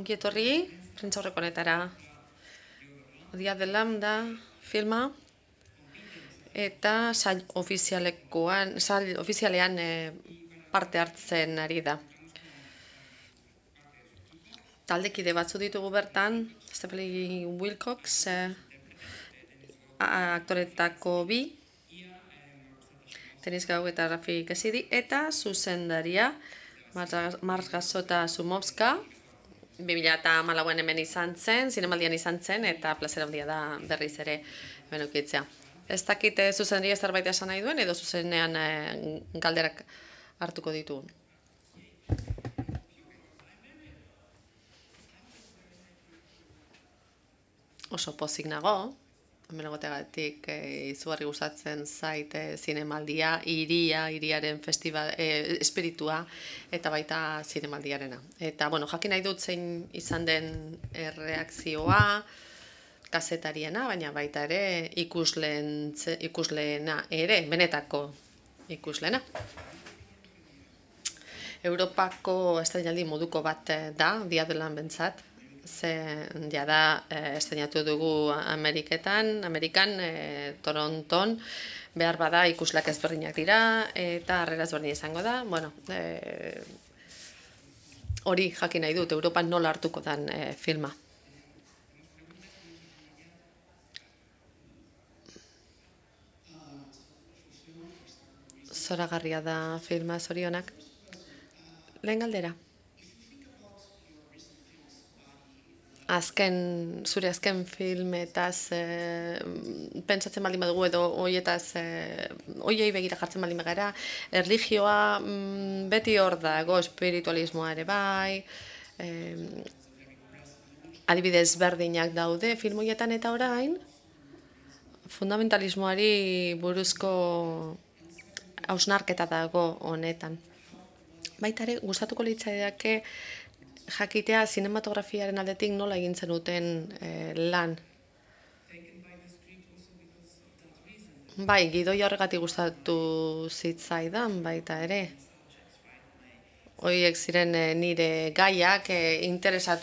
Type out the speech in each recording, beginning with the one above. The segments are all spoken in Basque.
Ongi etorri, prentsaurreko honetara. Dia de Lambda filma eta sail ofizialean parte hartzen ari da. Taldekide batzu ditugu bertan, Stephanie Wilcox, aktoretako bi, Tenis Gau eta Rafi Kesidi, eta zuzendaria Margasota Sumovska, 2014an hemen izan zen, zinemaldian izan zen, eta plazera handia da berriz ere hemen ukitzea. Ez dakit zuzendaria zerbait esan nahi duen, edo zuzenean galderak hartuko ditugun. Oso pozik nago, hemen egoteagatik izugarri gustatzen zait zinemaldia, hiriaren espiritua eta baita zinemaldiarena. Eta, jakin nahi dut zein izan den erreakzioa, kazetariena, baina baita ere ikusleena ere, benetako ikusleena. Europako estreinaldi moduko bat da, Dia de lan bentsat, ze jada estreinatu dugu Amerikan, Toronton, behar bada ikusleak ezberdinak dira, eta harrera ezberdina izango da. Hori jakin nahi dut, Europan nola hartuko den filma. Zoragarria da filma, zorionak. Lehen galdera. Zure azken filmetaz pentsatzen baldin badugu edo hoiei begira jartzen baldin bagara, erlijioa beti hor dago, espiritualismoa ere bai, adibidez berdinak daude film horietan, eta orain fundamentalismoari buruzko hausnarketa dago honetan. Baita ere, gustatuko litzaidake jakitea zinematografiaren aldetik nola egin zenuten lan. Bai, gidoi horregatik gustatu zitzaidan baita ere. Horiek ziren nire gaiak, interesa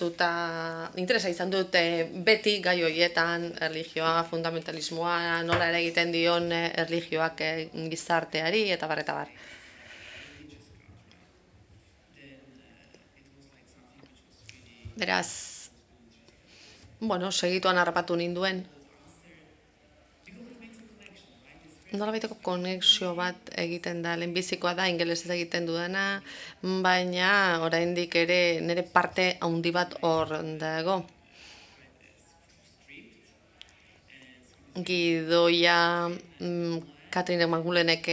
izan dut beti gai horietan, erlijioa, fundamentalismoa, nola ere egiten dion erlijioak gizarteari, eta bar, eta bar. Beraz, segituan harrapatu ninduen. Nolabaiteko konexio bat egiten da, lehenbizikoa da, ingelesez egiten dudana, baina oraindik ere nire parte handi bat hor dago. Gidoia Katrin Magulenek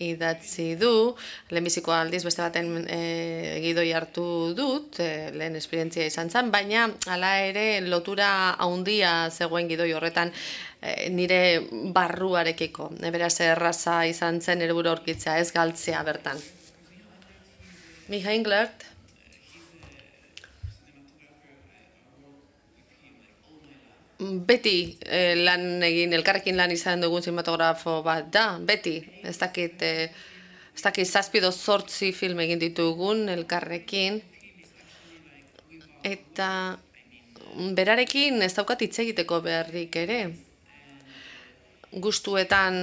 idatzi du, lehenbiziko aldiz beste baten gidoi hartu dut, lehen esperientzia izan zen, baina hala ere lotura handia zegoen gidoi horretan nire barruarekiko. Beraz erraza izan zen nire burua aurkitzea, ez galtzea bertan. Micha Englert, beti elkarrekin lan izan dugun zinematografo bat da, beti. Ez dakit 7 edo 8 film egin ditugun elkarrekin. Eta berarekin ez daukat hitz egiteko beharrik ere. Gustuetan,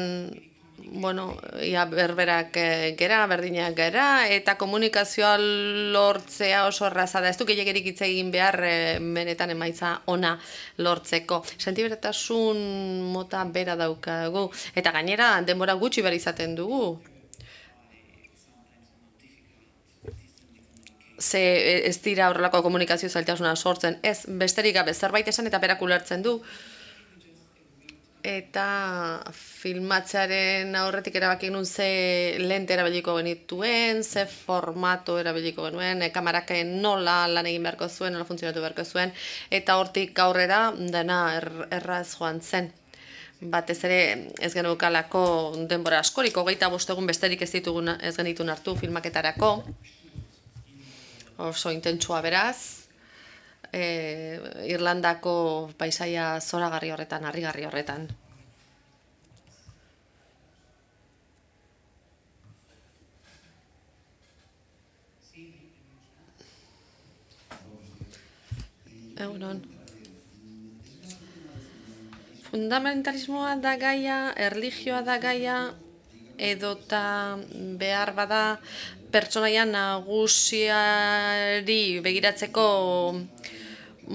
ia berberak gera, berdinak gera, eta komunikazioa lortzea oso erraza da. Ez du gehiagerik hitz egin behar benetan emaitza ona lortzeko. Sentiberatasun mota bera daukagu, eta gainera denbora gutxi behar izaten dugu. Ze ez dira horrelako komunikazio zailtasuna sortzen, ez besterik gabe zerbait esan eta berak ulertzen du. Eta filmatzearen aurretik erabaki genuen ze lente erabiliko genituen, ze formato erabiliko genuen, kamarak nola lan egin beharko zuen, nola funtzionatu beharko zuen, eta hortik aurrera dena erraz joan zen. Batez ere ez genukalako denbora askorik, 25 egun besterik ez genituen hartu filmaketarako, oso intentsua beraz. Irlandako paisaia zoragarri horretan, harrigarri horretan. Egunon. Fundamentalismoa da gaia, erlijioa da gaia, edota behar bada pertsonaia nagusiari begiratzeko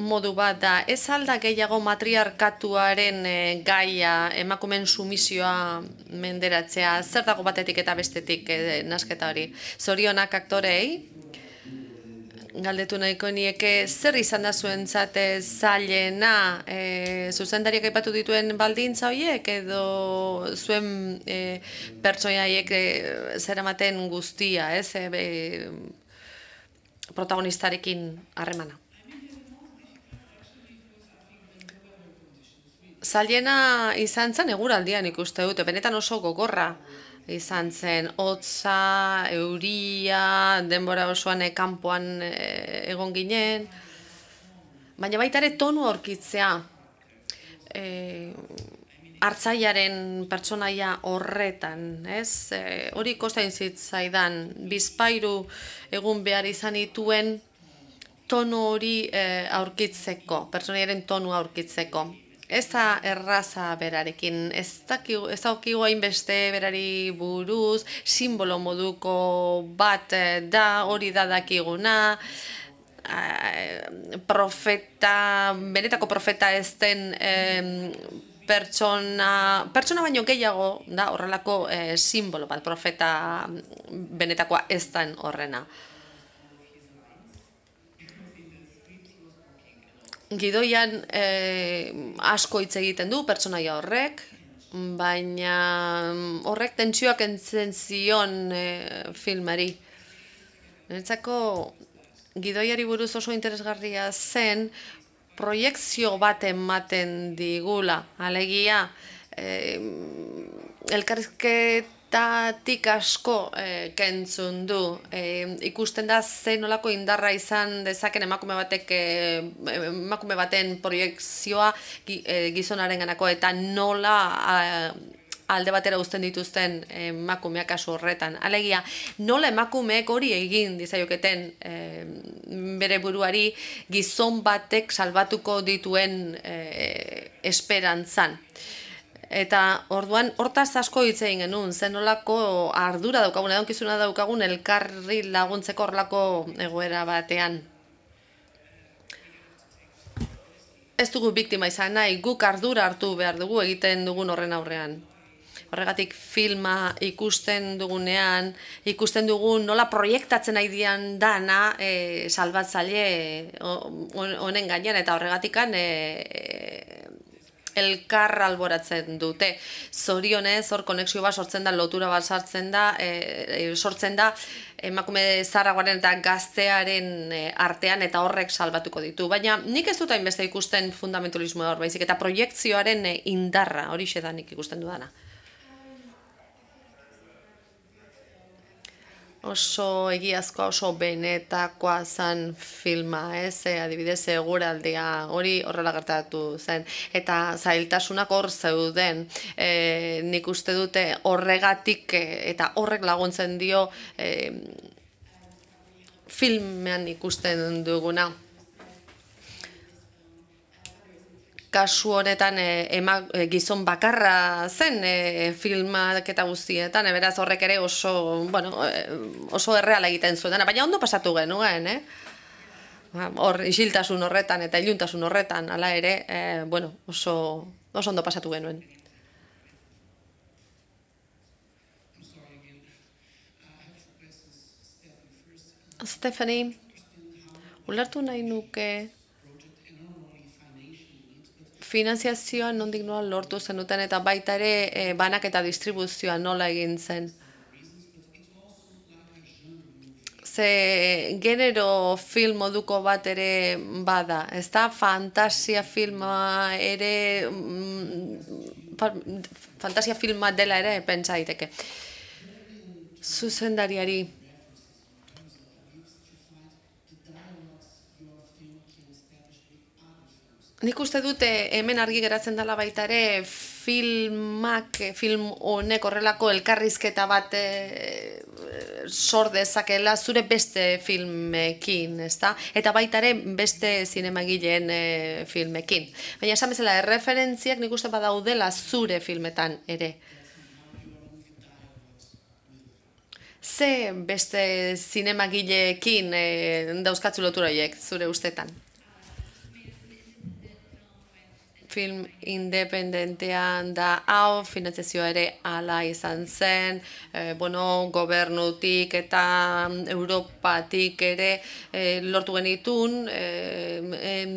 modu bat da. Ez alda gehiago matriarkatuaren gaia, emakumen sumisioa menderatzea, zer dago batetik eta bestetik nasketa hori. Zorionak aktorei, galdetu nahiko nieke, zer izan da zuentzat zailena, zuzendariak aipatu dituen baldintza horiek, edo zuen pertsonaiek zeramaten guztia, protagonistarekin harremana. Zailena izan zen eguraldian ikuste dute, benetan oso gogorra izan zen, hotza, euria, denbora osoan kanpoan egon ginen, baina baita ere tonu aurkitzea, hartzaiaren pertsonaia horretan, ez? Hori kostain zitzaidan, bizpahiru egun behar izan dituen tonu hori aurkitzeko, pertsonaiaren tonu aurkitzeko. Ez da erraza berarekin, ez daukigu hainbeste berari buruz, simbolo moduko bat da, hori da dakiguna, benetako profeta ez den pertsona baino gehiago da horrelako simbolo bat, profeta benetakoa ez den horrena. Gidoian asko hitz egiten du pertsonaia horrek, baina horrek tentsioak entzen zion filmari. Niretzako gidoiari buruz oso interesgarria zen proiekzio bat ematen digula, alegia elkarrizketatik asko kentzun du. Ikusten da ze nolako indarra izan dezaken emakume baten proiekzioa gizonarenganako eta nola alde batera uzten dituzten emakumeak kasu horretan. Alegia, nola emakumeek hori egin dizaioketen bere buruari gizon batek salbatuko dituen esperantzan. Eta orduan hortaz asko hitz egin genuen, zen nolako ardura daukagun, edonkizuna daukagun elkarri laguntzeko horrelako egoera batean. Ez dugu biktima izan nahi, guk ardura hartu behar dugu egiten dugun horren aurrean. Horregatik filma ikusten dugunean, ikusten dugun nola proiektatzen nahi dian dana salbatzaile honen gainean, eta horregatikan elkar alboratzen dute. Zorionez, hor konexio bat sortzen da, lotura bat sortzen da emakume zaharragoaren eta gaztearen artean eta horrek salbatuko ditu. Baina nik ez dut hainbeste ikusten fundamentalismoa hor baizik, eta proiektzioaren indarra, horixe da nik ikusten dudana. Oso egiazkoa, oso benetakoa zen filma, adibidez eguraldia hori horrela gertatu zen. Eta zailtasunak hor zeuden, nik uste dute horregatik eta horrek laguntzen dio filmean ikusten duguna. Kasu honetan gizon bakarra zen filmak eta guztietan, beraz horrek ere oso erreala egiten zuen, baina ondo pasatu genuen, hor isiltasun horretan eta iluntasun horretan, hala ere, oso ondo pasatu genuen. Stephanie, ulertu nahi nuke finanziazioa nondik nola lortu zenuten eta baita ere banak eta distribuzioa nola egin zen. Ze genero film moduko bat ere bada, ez da fantasia filma ere, fantasia filma dela ere pentsa daiteke. Zuzendariari. Nik uste dute hemen argi geratzen dela baita ere film honek horrelako elkarrizketa bat sor dezakela zure beste filmekin, ezta? Eta baita ere beste zinemagileen filmekin. Baina esan bezala, erreferentziak nik uste badaudela zure filmetan ere. Ze beste zinemagileekin dauzkatzu lotura horiek, zure ustetan? Film independentean da hau, finantzazioa ere ala izan zen, gobernutik eta Europatik ere lortu genitun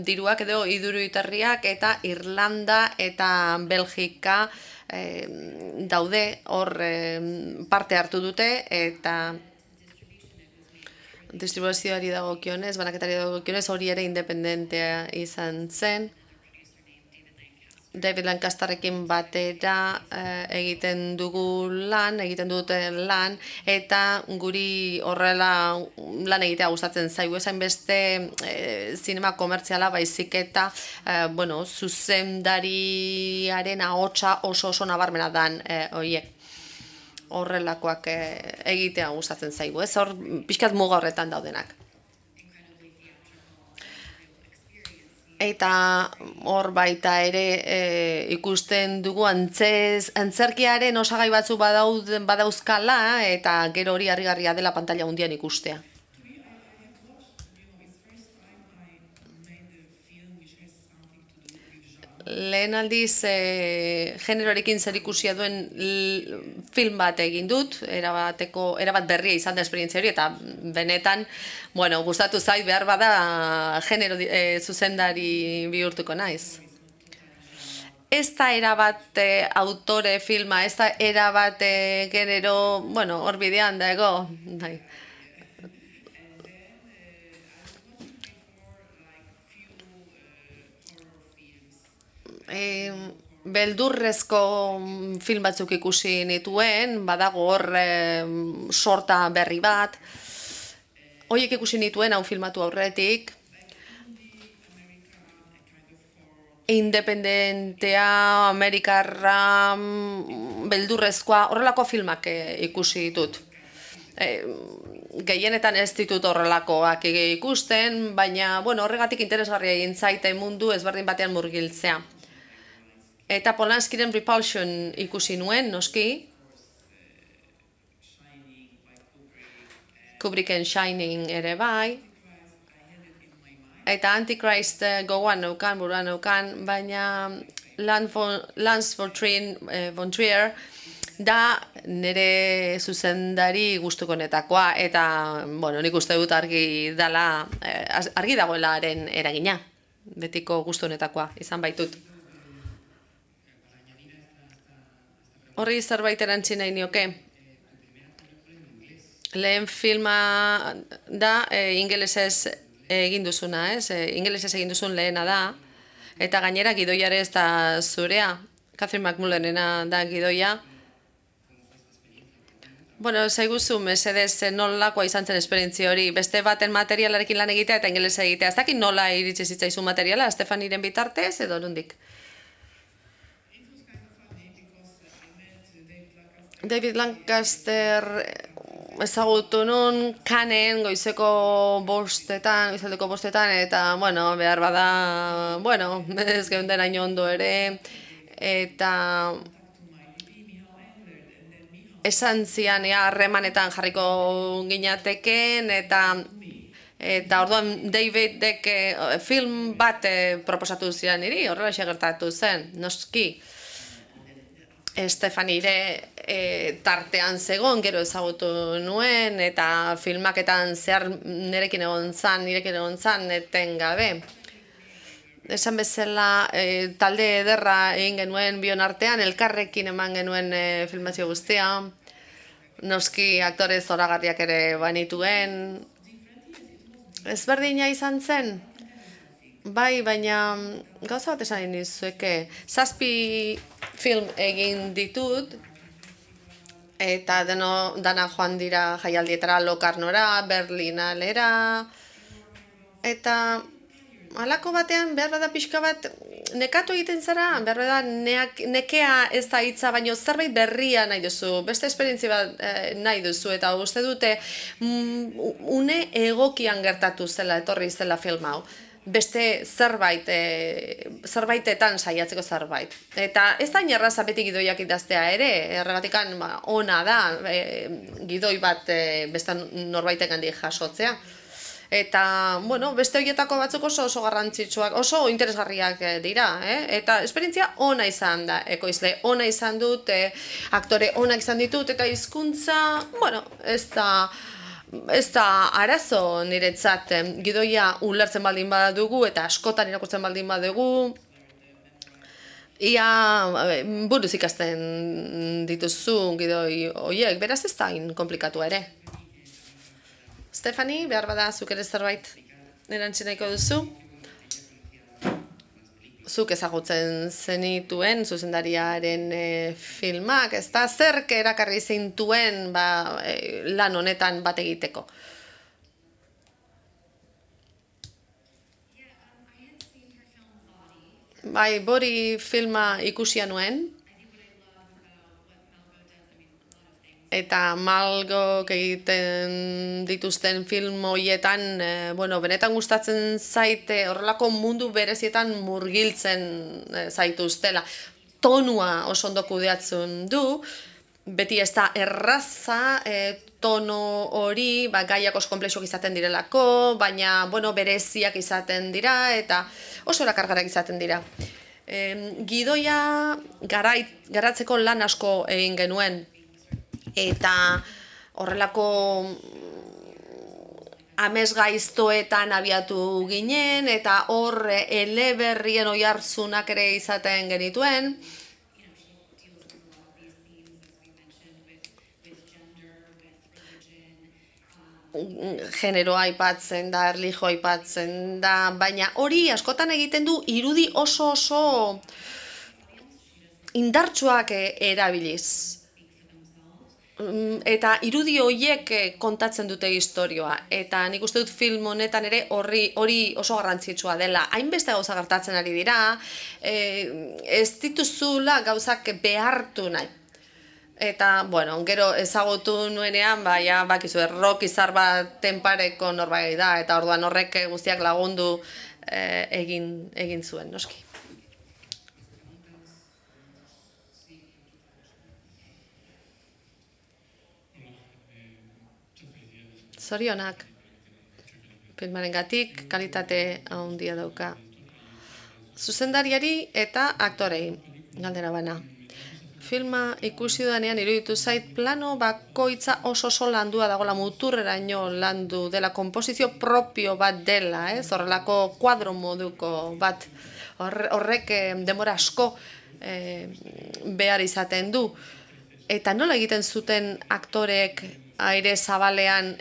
diruak edo iduruitarriak eta Irlanda eta Belgika daude hor parte hartu dute eta distribuzioari dagokionez, banaketari dagokionez hori ere independentea izan zen. David Lancasterrekin batera egiten duten lan, eta guri horrela lan egitea gustatzen zaigu, esain beste zinema komertziala baizik eta zuzendariaren ahotsa oso nabarmena dan horiek. Horrelakoak egitea gustatzen zaigu, ez hor pixkat muga horretan daudenak. Eta hor baita ere ikusten dugu antzerkiaren osagai batzu badauzkala eta gero hori harrigarria dela pantalla handian ikustea. Lehen aldiz generoarekin zerikusia duen film bat egin dut, erabat berria izan da esperientzia hori, eta benetan, gustatu zait behar bada genero zuzendari bihurtuko naiz. Ez da erabat autore filma, ez da erabat genero, hor bidean dago. Beldurrezko film batzuk ikusi nituen, badago hor sorta berri bat. Horiek ikusi nituen hau filmatu aurretik. Independentea, amerikarra, beldurrezkoa, horrelako filmak ikusi ditut. Gehienetan ez ditut horrelakoak ikusten, baina horregatik interesgarria egin zaite mundu ezberdin batean murgiltzea. Eta Polanskiren Repulsion ikusi nuen, noski. Kubricken Shining ere bai. Eta Antichrist gogoan buruan neukan, baina Lance von Trier da nire zuzendari gustukonetakoa, eta nik uste dut argi dagoela haren eragina, betiko gustonetakoa izan baitut. Horri zerbait erantzi nahi nioke. Lehen filma da ingelesez egin duzuna, ez? Ingelesez egin duzun lehena da, eta gainera gidoiare ez da zurea. Catherine McMullenena da gidoia. Zaiguzu, mesedez, nolakoa izan zen esperientzia hori, beste baten materialarekin lan egitea eta ingelesa egitea. Ez dakit nola iritsi zitzaizu materiala, Stefaniren bitartez edo nondik? David Lancaster ezagutu nun Cannes goizaldeko bostetan, eta, behar bada, ez geunden hain ondo ere, eta esan zian harremanetan jarriko ginateken, eta orduan Davidek film bat proposatu zian niri, horrela gertatu zen, noski. Stefanire tartean zegoen, gero ezagutu nuen, eta filmaketan zehar nirekin egon zan, eten gabe. Esan bezala, talde ederra egin genuen bion artean, elkarrekin eman genuen filmazio guztia, noski aktore zoragarriak ere banituen. Ezberdina izan zen? Bai, baina gauza bat esan nizueke, 7 film egin ditut, eta dana joan dira jaialdietara, Locarnora, Berlinalera, eta halako batean behar bada pixka bat nekatu egiten zara, behar da, nekea ez da hitza, baino zerbait berria nahi duzu, beste esperientzia bat nahi duzu, eta uste dute une egokian gertatu zela, etorri zela film hau. Beste zerbaitetan saiatzeko zerbait. Eta ez da inerraza beti gidoiak idaztea ere, erregatikan ona da, gidoi bat beste norbaitek handik jasotzea. Eta, bueno, beste horietako batzuk oso garrantzitsuak, oso interesgarriak dira, Eta esperientzia ona izan da, ekoizle ona izan dut, aktore onak izan ditut, eta hizkuntza, bueno, ez da arazo niretzat gidoia ulertzen baldin badugu eta askotan irakurtzen baldin badugu, ia buruz ikasten dituzu gidoi horiek, beraz ez da komplikatu ere. Stefani, behar bada zuk ere zerbait erantzun nahiko duzu? Zuk ezagutzen zenituen zuzendariaren filmak, ez da zerk erakarri zintuen lan honetan bat egiteko? Bai, Bori filma ikusia nuen, eta Malgok egiten dituzten film horietan, benetan gustatzen zaite horrelako mundu berezietan murgiltzen zaituztela. Tonua oso ondo kudeatzen du, beti ez da erraza, tono hori, gaiak oso komplexuak izaten direlako, baina, bereziak izaten dira, eta oso erakargarrak izaten dira. Gidoia garatzeko lan asko egin genuen, eta horrelako amesgaiztoetan abiatu ginen, eta hor eleberrien oihartzunak ere izaten genituen. Generoa aipatzen da, erlijioa aipatzen da, baina hori askotan egiten du irudi oso indartsuak erabiliz. Eta irudi horiek kontatzen dute istorioa, eta nik uste dut film honetan ere hori oso garrantzitsua dela. Hainbeste gauza gertatzen ari dira, ez dituzula gauzak behartu nahi. Eta, gero ezagutu nuenean, bakizu, rock izar bat tenpareko norbait da, eta orduan horrek guztiak lagundu egin zuen, noski. Zorionak, filmarengatik kalitate handia dauka. Zuzendariari eta aktorei, galdera bana. Filma ikusi dudanean iruditu zait plano bakoitza oso landua dagoela, muturreraino landu dela, konposizio propio bat dela, horrelako kuadro moduko bat. Horrek denbora asko behar izaten du. Eta nola egiten zuten aktorek aire zabalean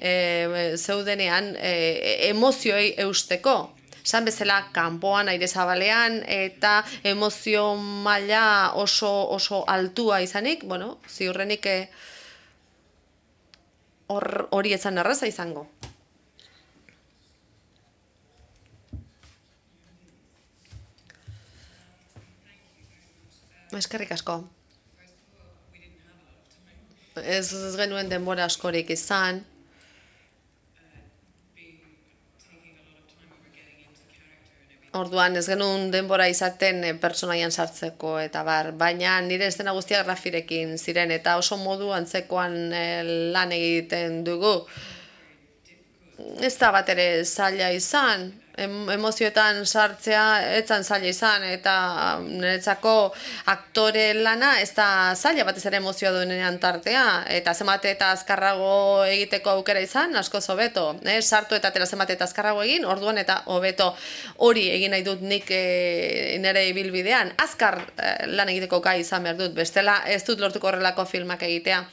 zeudenean emozioei eusteko. Esan bezala, kanpoan aire zabalean eta emozio maila oso altua izanik, ziurrenik hori etzan erraza izango. Eskerrik asko. Ez genuen denbora askorik izan. Orduan ez genuen denbora izaten pertsonaian sartzeko eta baina nire estena guztiak Rafirekin ziren eta oso modu antzekoan lan egiten dugu. Ez da bat ere zaila izan, emozioetan sartzea etzan zaila izan, eta niretzako aktore lana ez da zaila batez ere emozioa duenean tartea, eta zenbat eta azkarrago egiteko aukera izan, asko hobeto. Sartu eta atera zenbat eta azkarrago egin, orduan eta hobeto hori egin nahi dut nik nire ibilbidean. Azkar lan egiteko gai izan behar dut, bestela ez dut lortuko horrelako filmak egitea.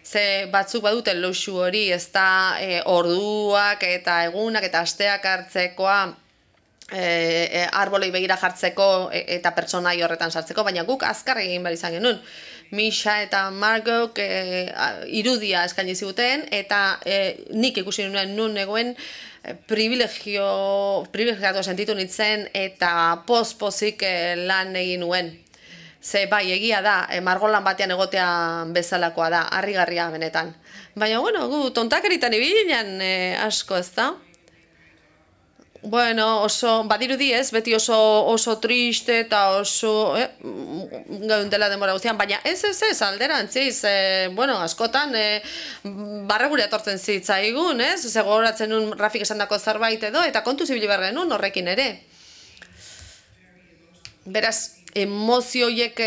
Ze batzuk badute luxu hori, ez da orduak eta egunak eta asteak hartzekoa arbolei begira jartzeko eta pertsonai horretan sartzeko, baina guk azkar egin behar izan genuen. Misha eta Margok irudia eskaini ziguten eta nik ikusi nuen nun egoen privilegiatu sentitu nintzen eta poz-pozik lan egin nuen. Ze bai, egia da, margolan batean egotea bezalakoa da, harrigarria benetan. Baina, bueno, gu tontakeritan ibilean asko, ez da? Bueno, oso, badirudi ez, beti oso triste eta oso gaudela denbora guztian, baina ez, alderantziz, bueno, askotan, barregure etortzen zitzaigun, ez? Gogoratzen nun Rafik esandako zerbait edo, eta kontu zibili behar genuen horrekin ere. Beraz, emozioiek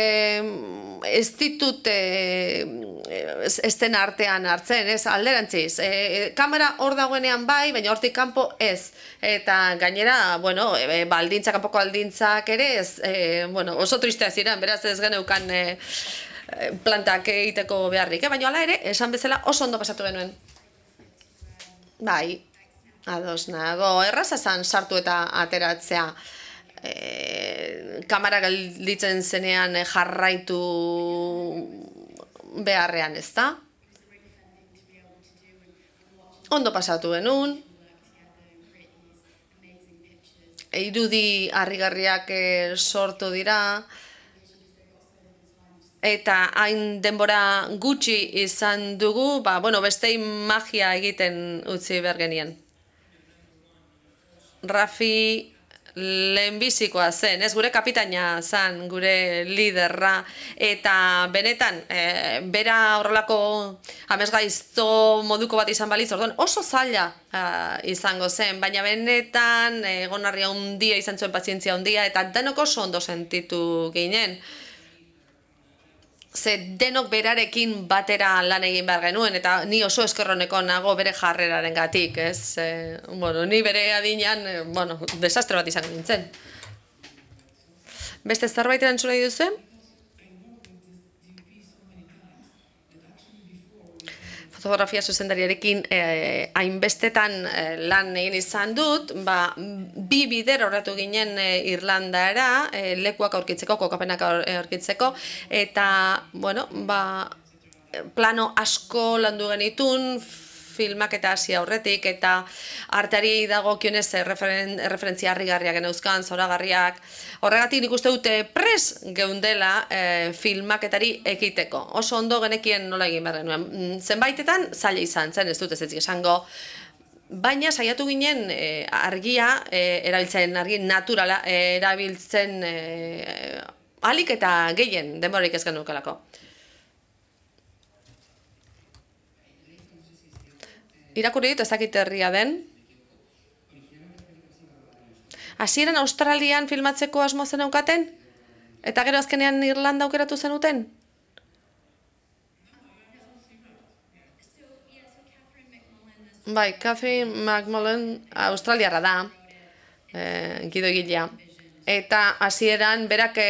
ez ditut esten artean hartzen, ez, alderantziz. Kamera hor dagoenean bai, baina hortik kanpo ez. Eta gainera, bueno, kanpoko aldintzak ere ez, bueno, oso tristea ziren, beraz ez geneukan plantak egiteko beharrik. Baina hala ere, esan bezala oso ondo pasatu genuen. Bai, ados nago, erraza zan sartu eta ateratzea. Kamera galditzen zenean jarraitu beharrean, ez da? Ondo pasatu genuen. Irudi harrigarriak sortu dira. Eta hain denbora gutxi izan dugu, bueno, bestei magia egiten utzi behar genien. Rafi lehenbizikoa zen, ez, gure kapitaina zen, gure liderra, eta benetan, bera horrelako amesgaizto moduko bat izan balitz, orduan oso zaila izango zen, baina benetan egonarria handia izan zuen pazientzia handia, eta denok oso ondo sentitu ginen. Ze denok berarekin batera lan egin behar genuen, eta ni oso eskerroneko nago bere jarreraren gatik, ez? Bueno, ni bere adinean, bueno, desastre bat izan nintzen. Beste zerbait erantzun nahi duzu? Fotografia zuzendariarekin hainbestetan lan egin izan dut, bi bider horretu ginen Irlandara, lekuak aurkitzeko, kokapenak aurkitzeko, eta, bueno, plano asko landu genitun, filmak eta hasi aurretik, eta arteari dagokionez referentzia harrigarriak geneuzkan, zoragarriak. Horregatik nik uste dute pres geundela filmaketari ekiteko. Oso ondo genekien nola egin behar genuen. Zenbaitetan zaila izan zen, ez dut ez esango. Baina saiatu ginen argia erabiltzen, argi naturala erabiltzen ahalik eta gehien denborarik ez genukelako. Irakurri dit, ez dakit herria den. Hasieran Australian filmatzeko asmo zen eukaten? Eta gero azkenean Irlanda aukeratu zenuten? Bai, Catherine McMullen australiarra da, gidoigilea. Eta hasieran berak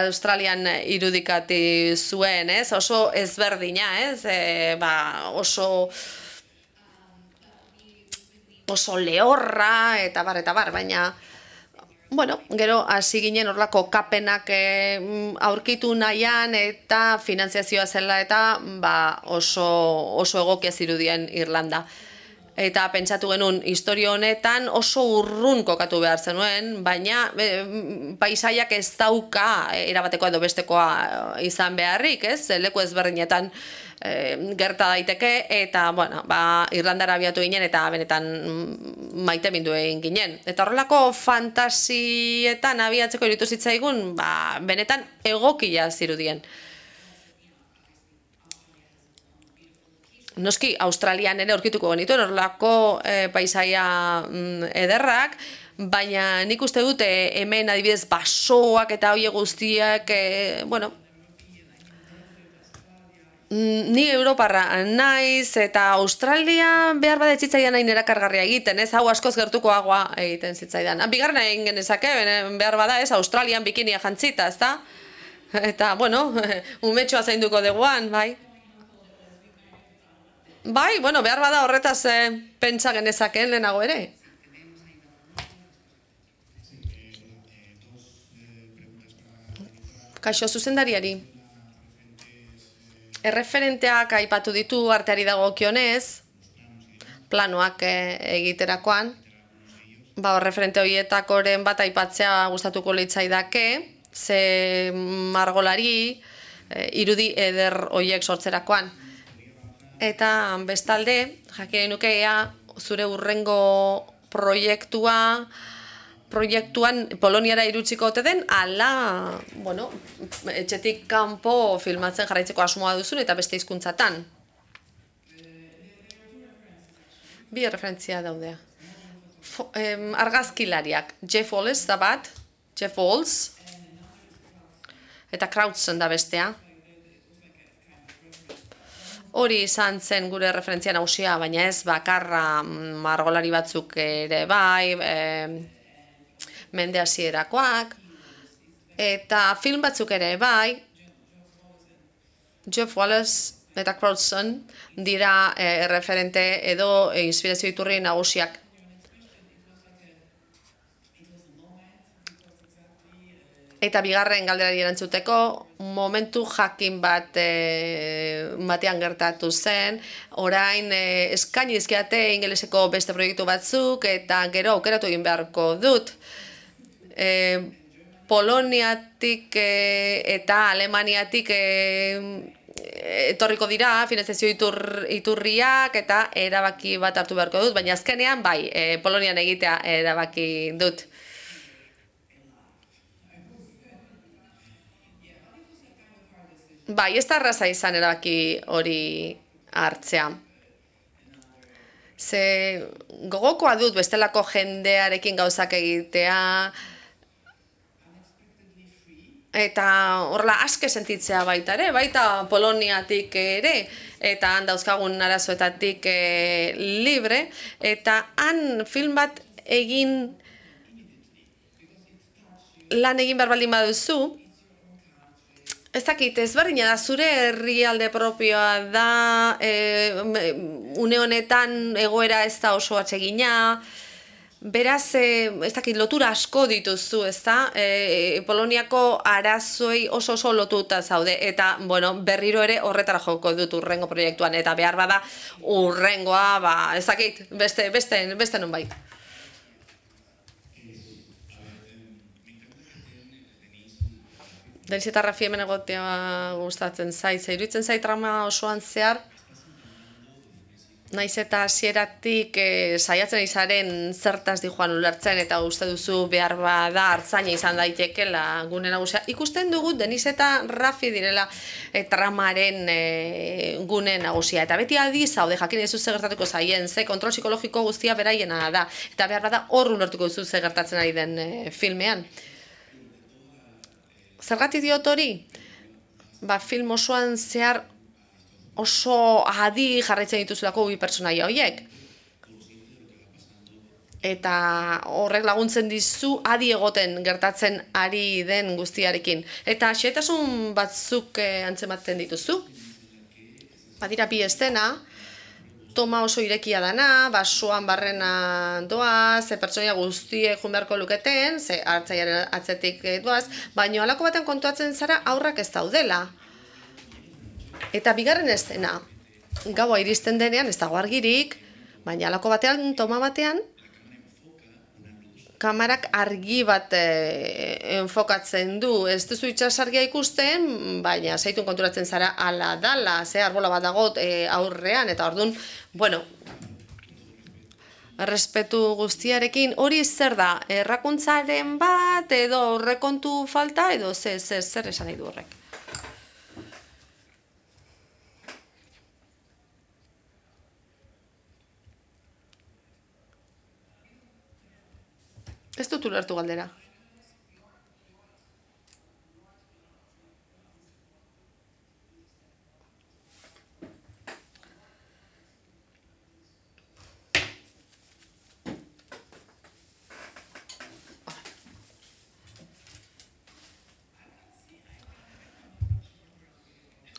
Australian irudikati zuen, ez? Oso ezberdina, ez? Oso lehorra, eta bar, baina, bueno, gero hasi ginen horlako kapenak aurkitu nahian, eta finanziazioa zela, eta oso egokia zirudien Irlanda. Eta pentsatu genuen, historio honetan oso urrun kokatu behar zenuen, baina paisaiak ez dauka erabatekoa edo bestekoa izan beharrik, ez? Leku ezberdinetan gerta daiteke, eta, bueno, Irlandara abiatu ginen, eta benetan maite mindu egin ginen. Eta horrelako fantasietan abiatzeko iritu zitzaigun, benetan egokia zirudien. Noski, Australian ere aurkituko genituen horrelako paisaia ederrak, baina nik uste dute hemen adibidez basoak eta hoie guztiak, bueno, ni Europarra naiz eta Australia behar bat zitzaidan hain erakargarria egiten, ez, hau askoz gertukoagoa egiten zitzaidan. Bigarren egin genezake, behar bada ez, Australian bikinia jantzita, ez da? Eta, bueno, umetxoa zainduko deguan, bai. Bai, bueno, behar bada horretaz pentsa genezakeen lehenago ere. Kaixo, zuzendariari. Erreferenteak aipatu ditu arteari dagokionez, planoak egiterakoan. referente horietakoren bat aipatzea gustatuko litzaidake, ze margolari irudi eder horiek sortzerakoan. Eta bestalde, jakin nukeea zure hurrengo proiektuan Poloniara irutziko ote den, ala, etxetik kanpo filmatzen jarraitzeko asmoa duzun eta beste hizkuntzatan. Bi referentzia daudea. Argazkilariak, Jeff Wallis da bat, Jeff Walls, eta Krautzen da bestea. Hori izan zen gure referentzia nagusia, baina ez bakarra margolari batzuk ere bai, mende hasierakoak, eta film batzuk ere bai, Jeff Wallace eta Crowdson dira referente edo inspirazio iturri nagusiak. Eta bigarren galderari erantzuteko, momentu jakin batean gertatu zen, orain eskaini dizkiate ingeleseko beste proiektu batzuk, eta gero aukeratu egin beharko dut. Poloniatik eta Alemaniatik etorriko dira finantzazio iturriak eta erabaki bat hartu beharko dut, baina azkenean bai, Polonian egitea erabaki dut. Bai, ez da erraza izan erabaki hori hartzea. Ze gogokoa dut bestelako jendearekin gauzak egitea, eta horrela aske sentitzea baita ere, baita Poloniatik ere, eta han dauzkagun arazoetatik libre, eta han film bat lan egin behar baldin baduzu, ez dakit, ezberdina da, zure herrialde propioa da, une honetan egoera ez da oso atsegina, beraz, ez dakit, lotura asko dituzu, ez da, Poloniako arazoei oso lotuta zaude, eta, berriro ere horretara joko dut urrengo proiektuan, eta behar bada urrengoa, ez dakit, beste nonbait. Deniz eta Rafi hemen egotea gustatzen zait, iruditzen zait trama osoan zehar, naiz eta hasieratik saiatzen izaren zertaz dijoan ulertzen eta uste duzu behar bada hartzaina izan daitekela gune nagusia. Ikusten dugu Deniz eta Rafi direla tramaren gune nagusia. Eta beti adi zaude jakin ez ze gertatuko zaien, ze kontrol psikologiko guztia beraiena da. Eta behar bada hor ulertuko duzu ze gertatzen ari den filmean. Zergatik diot hori? Film osoan zehar oso adi jarraitzen dituzulako bi pertsonaia horiek. Eta horrek laguntzen dizu adi egoten gertatzen ari den guztiarekin. Eta xehetasun batzuk antzematen dituzu. Badira bi estena, toma oso irekia dana, basoan barrena doaz, pertsonaia guztiek joan beharko luketen, ze hartzailearen atzetik doaz, baina halako baten kontuatzen zara aurrak ez daudela. Eta bigarren estena, gaua iristen denean ez dago argirik, baina halako batean, toma batean, kamarak argi bat enfokatzen du. Ez duzu itsasargia ikusten, baina zaitun konturatzen zara ala dala, ze arbola bat dago aurrean, eta orduan, errespetu guztiarekin, hori zer da, errakuntzaren bat, edo horrekontu falta, edo zer esan nahi du horrek. Ez dut ulertu galdera.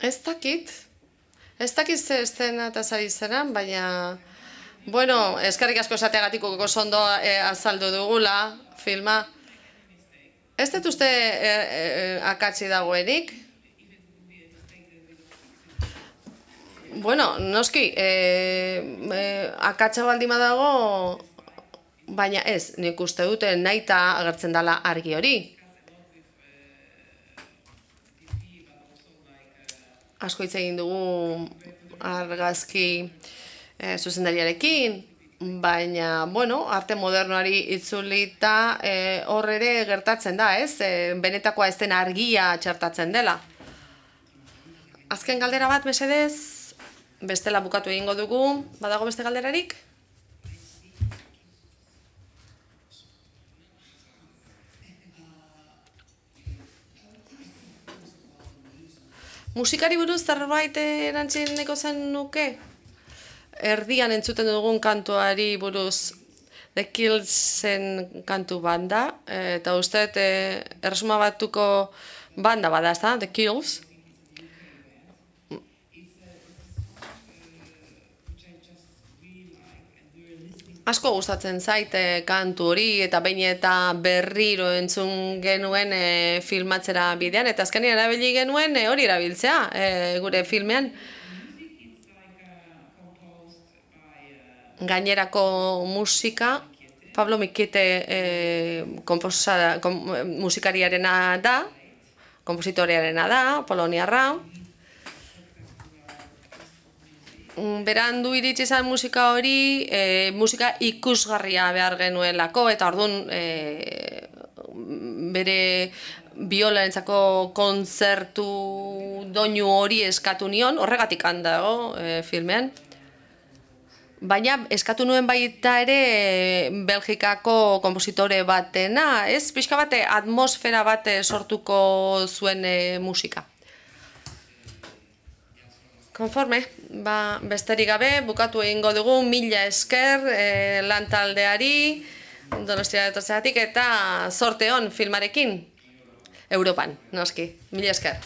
Ez dakit ze estena eta zari zeran, baina... eskerrik asko esateagatik oso ondo azaldu dugula filma. Ez dut uste akatsi dagoenik? Noski, akatsa baldima dago, Baina ez, nik uste dute nahita agertzen dela argi hori. Asko hitz egin dugu argazki zuzendariarekin, baina, bueno, arte modernoari itzulita hor ere gertatzen da, ez? Benetakoa ez den argia txertatzen dela. Azken galdera bat, mesedez, bestela bukatu egingo dugu, badago beste galderarik? Musikari buruz zerbait erantzin nahiko zen nuke? Erdian entzuten dugun kantuari buruz The Killsen kantu banda, eta uste erresuma batuko banda bada, ezta? The Kills. Asko gustatzen zait kantu hori, eta behin eta berriro entzun genuen filmatzera bidean, eta azkenean erabili genuen hori erabiltzea gure filmean. Gainerako musika, Pablo Mikite musikariarena da, kompositorearena da, poloniarra. Berandu iritsi zen musika hori, musika ikusgarria behar genuelako, eta orduan bere biolarentzako kontzertu doinu hori eskatu nion, horregatik handago filmean. Baina eskatu nuen baita ere Belgikako konpositore batena, ez? Pixka bate atmosfera bat sortuko zuen musika. Konforme, besterik gabe, bukatu egingo dugu, mila esker lantaldeari, Donostiara etortzeagatik, eta zorte on filmarekin, Europan, noski, mila esker.